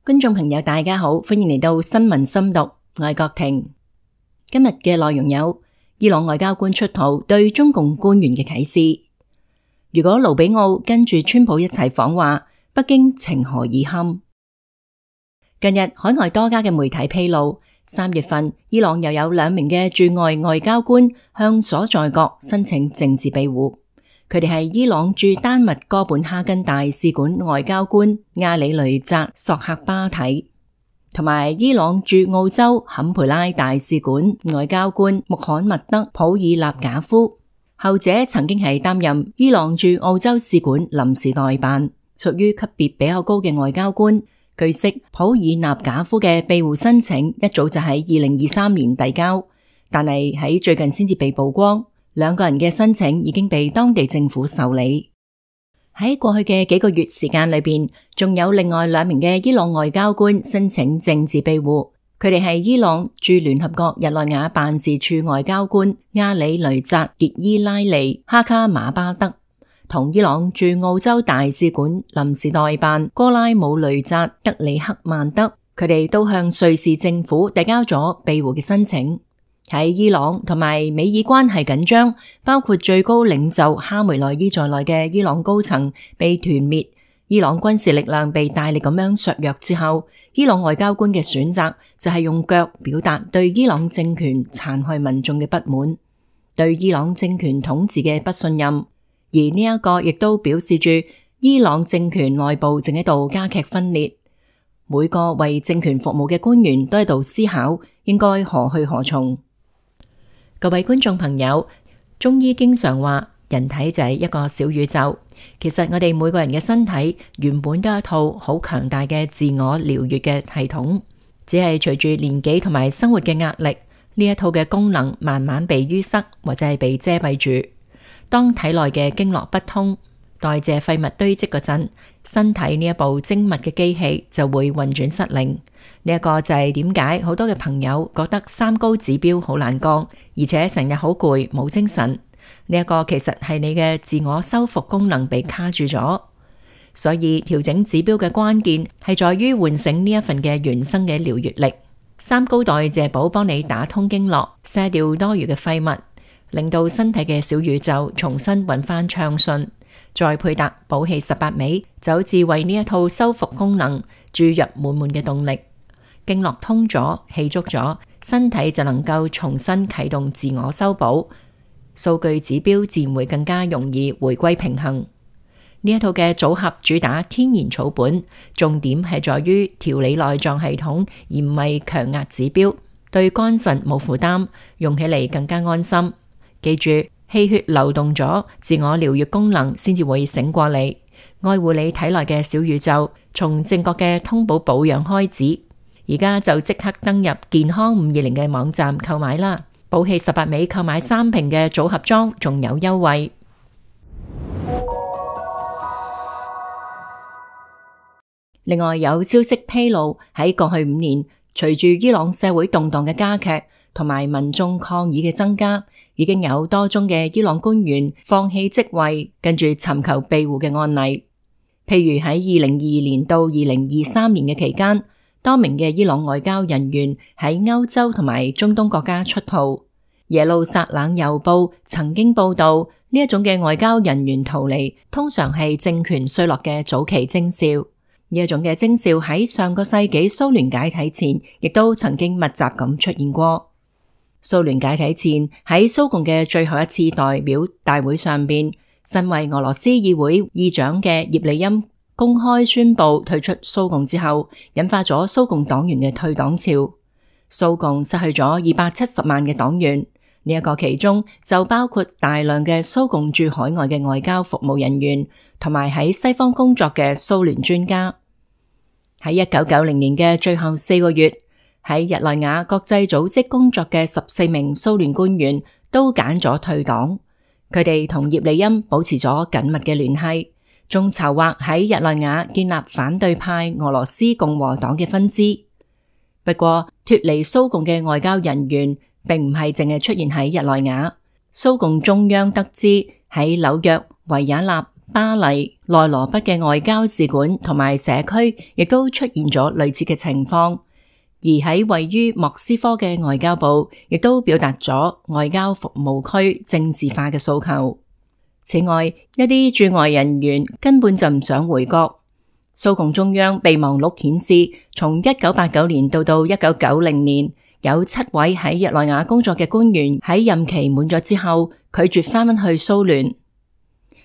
觀眾朋友大家好，歡迎嚟到新聞深讀，我係郭婷。今日嘅內容有伊朗外交官出逃對中共官員嘅啟示。如果盧比奧跟住川普一齊訪華，北京情何以堪？近日海外多家嘅媒體披露，3月份伊朗又有2名嘅駐外外交官向所在國申請政治庇護。佢哋係伊朗駐丹麥哥本哈根大使館外交官阿里雷扎索克巴體，同埋伊朗駐澳洲坎培拉大使館外交官穆罕默德普爾納賈夫。後者曾經係擔任伊朗駐澳洲使館臨時代辦，屬於級別比較高嘅外交官。據悉，普爾納賈夫嘅庇護申請一早就喺2023年遞交，但係喺最近先至被曝光。2個人嘅申請已經被當地政府受理。喺過去嘅幾個月時間裏邊，仲有另外2名嘅伊朗外交官申請政治庇護。佢哋係伊朗駐聯合國日內瓦辦事處外交官阿里雷扎傑伊拉利哈卡馬巴德，同伊朗駐澳洲大使館臨時代辦哥拉姆雷扎德里克曼德。佢哋都向瑞士政府遞交咗庇護嘅申請。喺伊朗同埋美伊關係緊張，包括最高領袖哈梅內伊在內嘅伊朗高層被團滅，伊朗軍事力量被大力咁樣削弱之後，伊朗外交官嘅選擇就係用腳表達對伊朗政權殘害民眾嘅不滿，對伊朗政權統治嘅不信任。而呢一個亦都表示住伊朗政權內部正喺度加劇分裂，每個為政權服務嘅官員都喺度思考應該何去何從。各位觀眾朋友，中醫經常話人體就係一個小宇宙，其實我哋每個人嘅身體原本都係一套好強大嘅自我療癒嘅系統，只係隨住年紀同埋生活嘅壓力，呢一套嘅功能慢慢被淤塞或者係被遮蔽住。當體內嘅經絡不通，代謝廢物堆積嗰陣，身體呢一部精密嘅機器就會運轉失靈。呢一個就係點解好多嘅朋友覺得3高指標好難降，而且成日好攰冇精神。呢一個其實係你嘅自我修復功能被卡住咗，所以調整指標嘅關鍵係在於喚醒呢一份嘅原生嘅療癒力。3高代謝寶幫你打通經絡，卸掉多餘嘅廢物，令到身體嘅小宇宙重新運翻暢順。再配搭補氣18味，就好似為呢一套修復功能注入滿滿嘅動力。經絡通咗，氣足咗，身體就能夠重新啟動自我修補，數據指標自然會更加容易回歸平衡。呢一套嘅組合主打天然草本，重點係在於調理內臟系統，而唔係強壓指標，對肝腎冇負擔，用起嚟更加安心。記住，氣血流動咗，自我療癒功能先至會醒過嚟，愛護你體內嘅小宇宙，從正確嘅通補保養開始。而家就即刻登入健康520嘅網站購買啦！補氣18味購買3瓶嘅組合裝，仲有優惠。另外有消息披露，喺過去5年，隨住伊朗社會動盪嘅加劇同埋民眾抗議嘅增加，已經有多宗嘅伊朗官員放棄職位，跟住尋求庇護嘅案例。譬如喺2022年到2023年嘅期間，多名嘅伊朗外交人員喺歐洲同埋中東國家出逃。耶路撒冷郵報曾經報道，呢一種嘅外交人員逃離，通常係政權衰落嘅早期徵兆。呢一種嘅徵兆喺上個世紀蘇聯解體前，亦都曾經密集咁出現過。蘇聯解體前，喺蘇共嘅最後一次代表大會上邊，身為俄羅斯議會議長嘅葉利欽公開宣布退出蘇共之後，引發咗蘇共黨員嘅退黨潮。蘇共失去咗270萬嘅黨員，呢一個其中就包括大量嘅蘇共駐海外嘅外交服務人員，同埋喺西方工作嘅蘇聯專家。喺1990年嘅最後4個月，喺日內瓦國際組織工作嘅14名蘇聯官員都揀咗退黨。佢哋同葉利欽保持咗緊密嘅聯繫，仲籌劃喺日內瓦建立反對派俄羅斯共和黨嘅分支。不過脫離蘇共嘅外交人員並唔係淨係出現喺日內瓦，蘇共中央得知喺紐約、維也納、巴黎、內羅畢嘅外交使館同埋社區亦都出現咗類似嘅情況，而喺位於莫斯科嘅外交部亦都表達咗外交服務區政治化嘅訴求。此外，一啲駐外人員根本就唔想回國。蘇共中央備忘錄顯示，從1989年到1990年，有7位喺日內瓦工作嘅官員喺任期滿咗之後拒絕返返去蘇聯，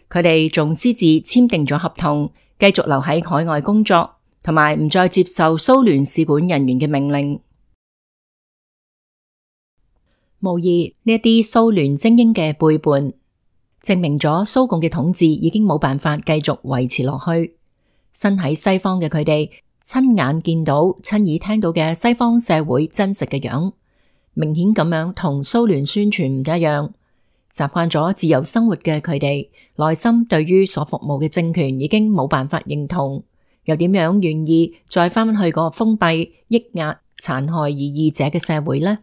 佢哋仲私自簽訂咗合同，繼續留喺海外工作，同埋唔再接受蘇聯使館人員嘅命令。無疑呢一啲蘇聯精英嘅背叛，證明咗蘇共嘅統治已經冇辦法繼續維持落去。身喺西方嘅佢哋，親眼見到、親耳聽到嘅西方社會真實嘅樣，明顯咁樣同蘇聯宣傳唔一樣。習慣咗自由生活嘅佢哋，內心對於所服務嘅政權已經冇辦法認同，又點樣願意再返去嗰個封閉、抑壓、殘害異議者嘅社會呢？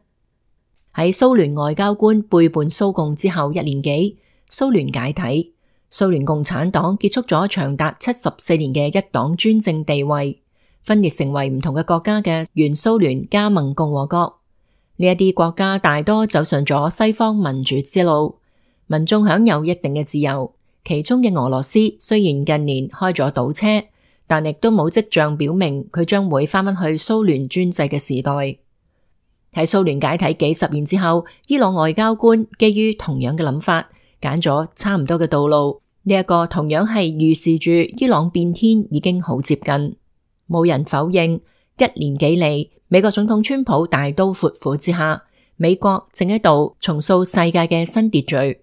喺蘇聯外交官背叛蘇共之後1年幾，蘇聯解體。蘇聯共產黨結束咗長達74年嘅一黨專政地位，分裂成為唔同嘅國家嘅原蘇聯加盟共和國。呢一啲國家大多走上咗西方民主之路，民眾享有一定嘅自由。其中嘅俄羅斯雖然近年開咗倒車，但亦都冇跡象表明佢將會返返去蘇聯專制嘅時代。喺蘇聯解體幾十年之後，伊朗外交官基於同樣嘅諗法，揀咗差唔多嘅道路。呢一個同樣係預示住伊朗變天已經好接近。冇人否認1年幾嚟，美國總統川普大刀闊斧之下，美國正喺度重塑世界嘅新秩序。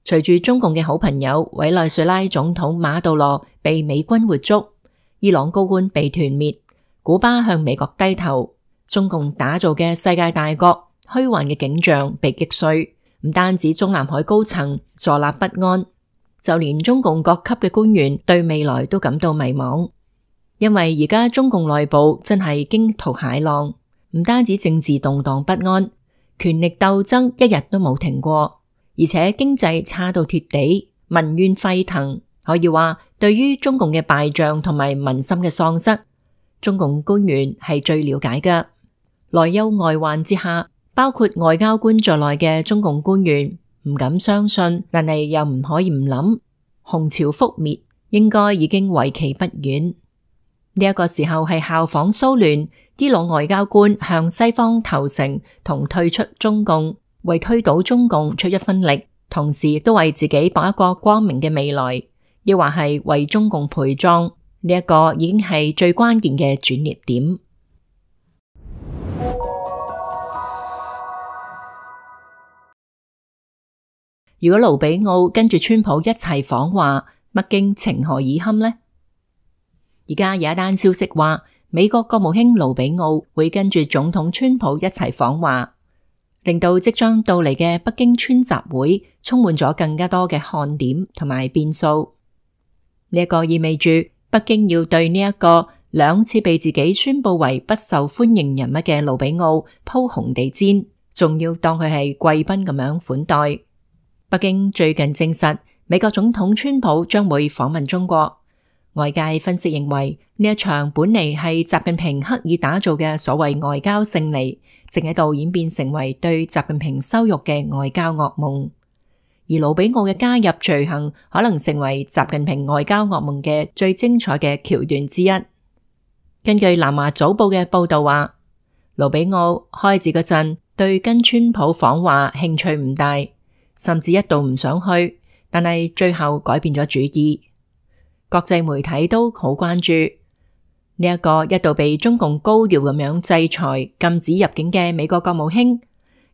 隨住中共嘅好朋友委內瑞拉總統馬杜羅被美軍活捉，伊朗高官被團滅，古巴向美國低頭，中共打造嘅世界大國虛幻嘅景象被擊碎。唔單止中南海高層坐立不安，就連中共各級嘅官員對未來都感到迷茫，因為而家中共內部真係驚濤駭浪，唔單止政治動盪不安，權力鬥爭一日都冇停過，而且經濟差到貼地，民怨沸騰。可以話，對於中共嘅敗仗同埋民心嘅喪失，中共官員係最了解㗎。內憂外患之下，包括外交官在內嘅中共官員唔敢相信，但係又唔可以唔諗，洪朝覆滅應該已經為期不遠。呢一個時候係效仿蘇聯，伊朗外交官向西方投誠同退出中共，為推倒中共出一分力，同時亦都為自己搏一個光明嘅未來，亦或係為中共陪葬。呢一個已經係最關鍵嘅轉捩點。如果盧比奧跟住川普一齊訪華，北京情何以堪呢？而家有一單消息話，美國國務卿盧比奧會跟住總統川普一齊訪華，令到即將到嚟嘅北京川習會充滿咗更加多嘅看點同埋變數。呢一個意味住北京要對呢一個2次被自己宣布為不受歡迎人物嘅盧比奧鋪紅地毯，仲要當佢係貴賓咁樣款待。北京最近證實，美國總統川普將會訪問中國。外界分析認為，呢一場本嚟係習近平刻意打造嘅所謂外交勝利，正喺度演變成為對習近平羞辱嘅外交噩夢。而盧比奧嘅加入隨行，可能成為習近平外交噩夢嘅最精彩嘅橋段之一。根據南華早報嘅報道話，盧比奧開始嗰陣對跟川普訪華興趣唔大，甚至一度唔想去，但係最後改變咗主意。國際媒體都好關注呢一個一度被中共高調咁樣制裁、禁止入境嘅美國國務卿，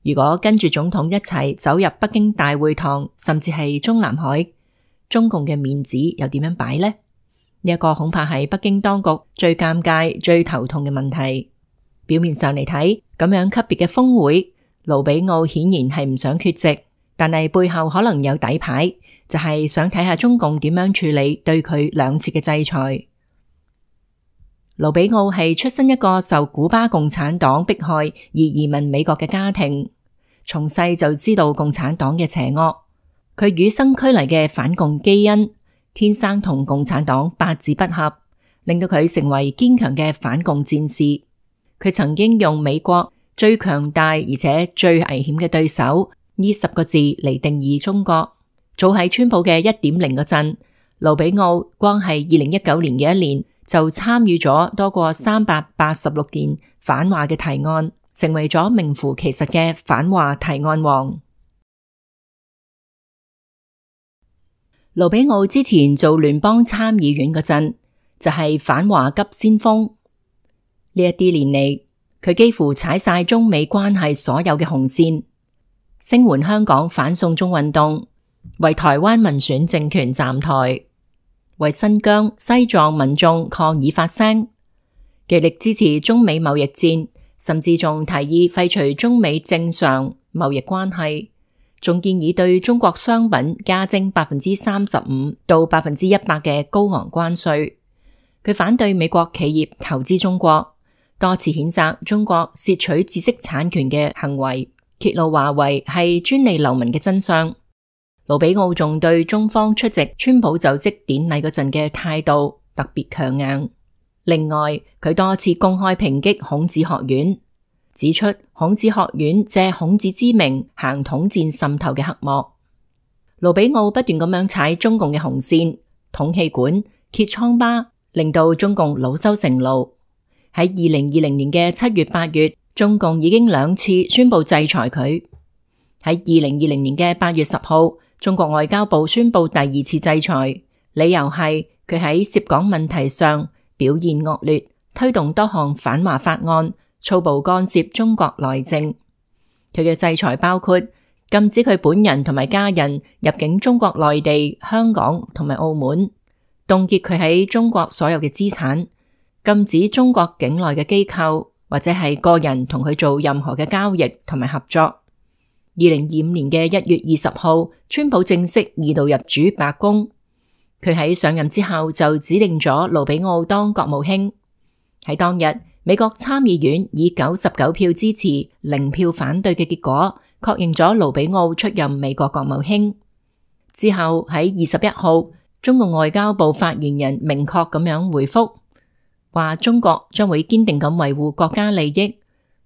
如果跟住總統一齊走入北京大會堂，甚至係中南海，中共嘅面子又點樣擺呢？呢一個恐怕係北京當局最尷尬、最頭痛嘅問題。表面上嚟睇，咁樣級別嘅峰會，盧比奧顯然係唔想缺席。但係背後可能有底牌，就係想睇下中共點樣處理對佢2次嘅制裁。盧比奧係出身一個受古巴共產黨迫害而移民美國嘅家庭，從細就知道共產黨嘅邪惡。佢與生俱嚟嘅反共基因，天生同共產黨八字不合，令到佢成為堅強嘅反共戰士。佢曾經用美國最強大而且最危險嘅對手呢10個字嚟定義中國。早喺川普嘅 1.0 嗰陣，盧比奧光係2019年嘅一年就參與咗多過386件反華嘅提案，成為咗名副其實嘅反華提案王。盧比奧之前做聯邦參議院嗰陣就係反華急先鋒，呢一啲年嚟佢幾乎踩晒中美關係所有嘅紅線，聲援香港反送中運動，為台灣民選政權站台，為新疆、西藏民眾抗議發聲，極力支持中美貿易戰，甚至仲提議廢除中美正常貿易關係，仲建議對中國商品加徵35%到100%嘅高昂關稅。佢反對美國企業投資中國，多次譴責中國竊取知識產權嘅行為，揭露華為係專利流氓嘅真相。盧比奧仲對中方出席川普就職典禮嗰陣嘅態度特別強硬。另外，佢多次公開抨擊孔子學院，指出孔子學院借孔子之名行統戰滲透嘅黑幕。盧比奧不斷咁樣踩中共嘅紅線，捅氣管、揭瘡疤，令到中共惱羞成怒。喺2020年嘅7月8月，中共已經2次宣布制裁佢。喺2020年嘅8月10號，中國外交部宣布第2次制裁，理由係佢喺涉港問題上表現惡劣，推動多項反華法案，粗暴干涉中國內政。佢嘅制裁包括禁止佢本人同埋家人入境中國內地、香港同埋澳門，凍結佢喺中國所有嘅資產，禁止中國境內嘅機構或者係個人同佢做任何嘅交易同埋合作。2025年嘅1月20號，川普正式2度入主白宮。佢喺上任之後就指定咗盧比奧當國務卿。喺當日，美國參議院以99票支持、0票反對嘅結果，確認咗盧比奧出任美國國務卿。之後喺21號，中共外交部發言人明確咁樣回覆，話中國將會堅定咁維護國家利益。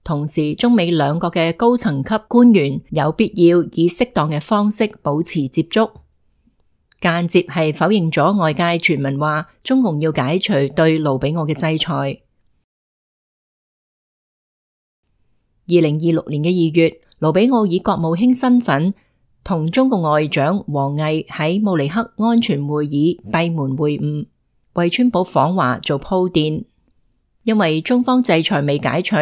同時，中美兩國嘅高層級官員有必要以適當嘅方式保持接觸。間接係否認咗外界傳聞話中共要解除對盧比奧嘅制裁。2026年嘅2月，盧比奧以國務卿身份同中共外長王毅喺慕尼黑安全會議閉門會晤，為川普訪華做鋪墊。因為中方制裁未解除，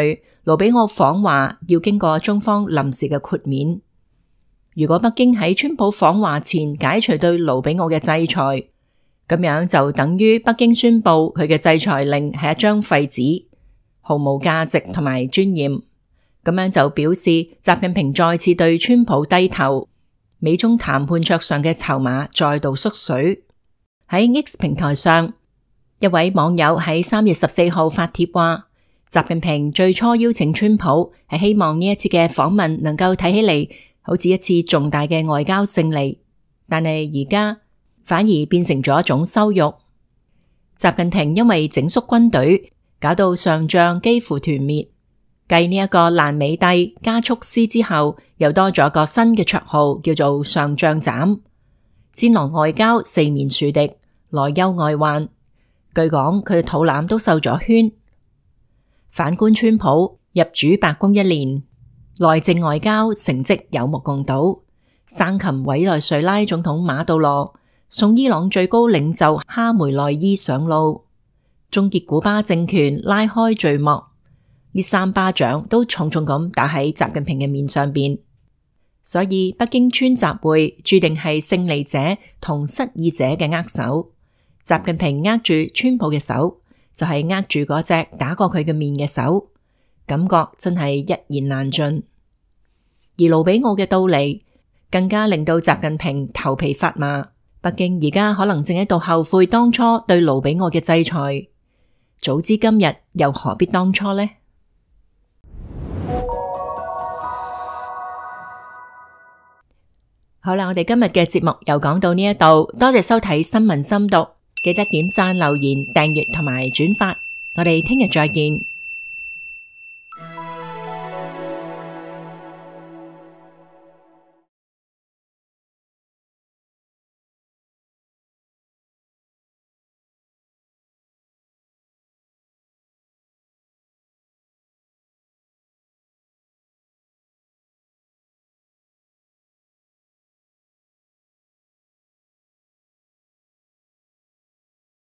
盧比奧訪華要經過中方臨時嘅豁免。如果北京喺川普訪華前解除對盧比奧嘅制裁，咁樣就等於北京宣布佢嘅制裁令係一張廢紙，毫無價值同埋尊嚴。咁樣就表示習近平再次對川普低頭，美中談判桌上嘅籌碼再度縮水。喺 X 平台上，一位網友喺3月14號發帖話，習近平最初邀請川普係希望呢一次嘅訪問能夠睇起嚟好似一次重大嘅外交勝利，但係而家反而變成咗一種羞辱。習近平因為整肅軍隊，搞到上將幾乎團滅。繼呢一個爛尾帝加速師之後，又多咗個新嘅綽號，叫做上將斬。戰狼外交四面樹敵，內憂外患。據講佢嘅肚腩都瘦咗圈。反觀川普入主白宮1年，內政外交成績有目共睹，生擒委內瑞拉總統馬杜羅，送伊朗最高領袖哈梅內伊上路，終結古巴政權，拉開序幕。呢3巴掌都重重咁打喺習近平嘅面上邊，所以北京川習會注定係勝利者同失意者嘅握手。習近平握住川普嘅手，就係握住嗰隻打過佢嘅面嘅手，感覺真係一言難盡。而盧比奧嘅到嚟，更加令到習近平頭皮發麻。北京而家可能正喺度後悔當初對盧比奧嘅制裁，早知今日又何必當初呢？好啦，我哋今日嘅節目又講到呢一度，多謝收睇新聞深讀，記得點讚、留言、訂閱同埋轉發，我哋聽日再見。